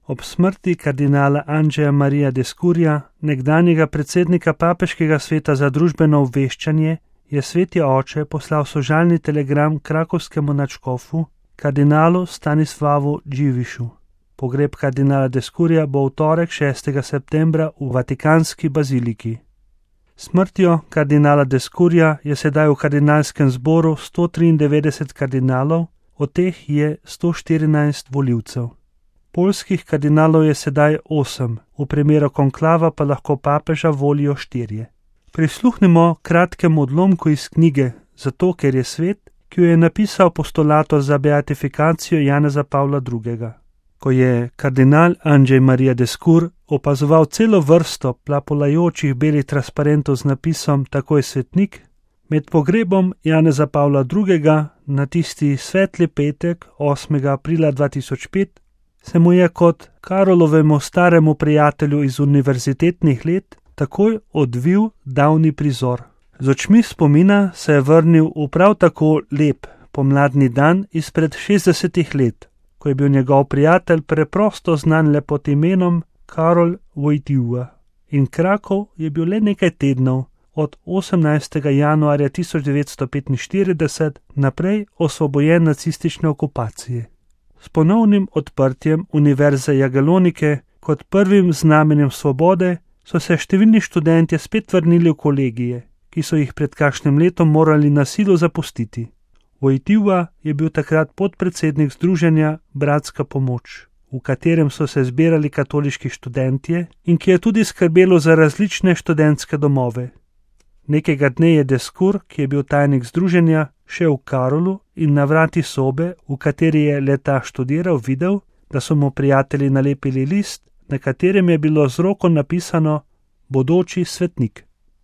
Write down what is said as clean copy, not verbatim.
Ob smrti kardinala Andžeja Marija Descurja, nekdanjega predsednika Papeškega sveta za družbeno obveščanje, je sveti oče poslal sožalni telegram krakovskemu nadškofu, kardinalu Stanislavu Dživišu. Pogreb kardinala Descurja bo v torek 6. septembra v Vatikanski baziliki. Smrtjo kardinala Descurja je sedaj v kardinalskem zboru 193 kardinalov, od teh je 114 volivcev. Poljskih kardinalov je sedaj 8, v primeru konklava pa lahko papeža volijo 4. Prisluhnimo kratkemu odlomku iz knjige, zato ker je svet, ki jo je napisal postulator za beatifikacijo Janeza Pavla II. Ko je kardinal Andžej Marija Descur opazoval celo vrsto plapolajočih belih transparentov z napisom Tako je svetnik, med pogrebom Janeza Pavla II. Na tisti svetli petek 8. aprila 2005 se mu je kot Karolovemu staremu prijatelju iz univerzitetnih let takoj odvil davni prizor. Z očmi spomina se je vrnil v prav tako lep pomladni dan izpred 60 let, ko je bil njegov prijatelj preprosto znan le pod imenom Karol Wojtyła. In Krakov je bil le nekaj tednov od 18. januarja 1945 naprej osvobojen nacistične okupacije. S ponovnim odprtjem Univerze Jagelonike kot prvim znamenjem svobode so se številni študentje spet vrnili v kolegije, ki so jih pred kakšnim letom morali na silo zapustiti. Wojtyła je bil takrat podpredsednik združenja Bratska pomoč, v katerem so se zbirali katoliški študentje in ki je tudi skrbelo za različne študentske domove. Nekega dne je Descur, ki je bil tajnik združenja, šel v Karolu in na vrati sobe, v kateri je leta študiral, videl, da so mu prijatelji nalepili list, na katerem je bilo z roko napisano Bodoči svetnik.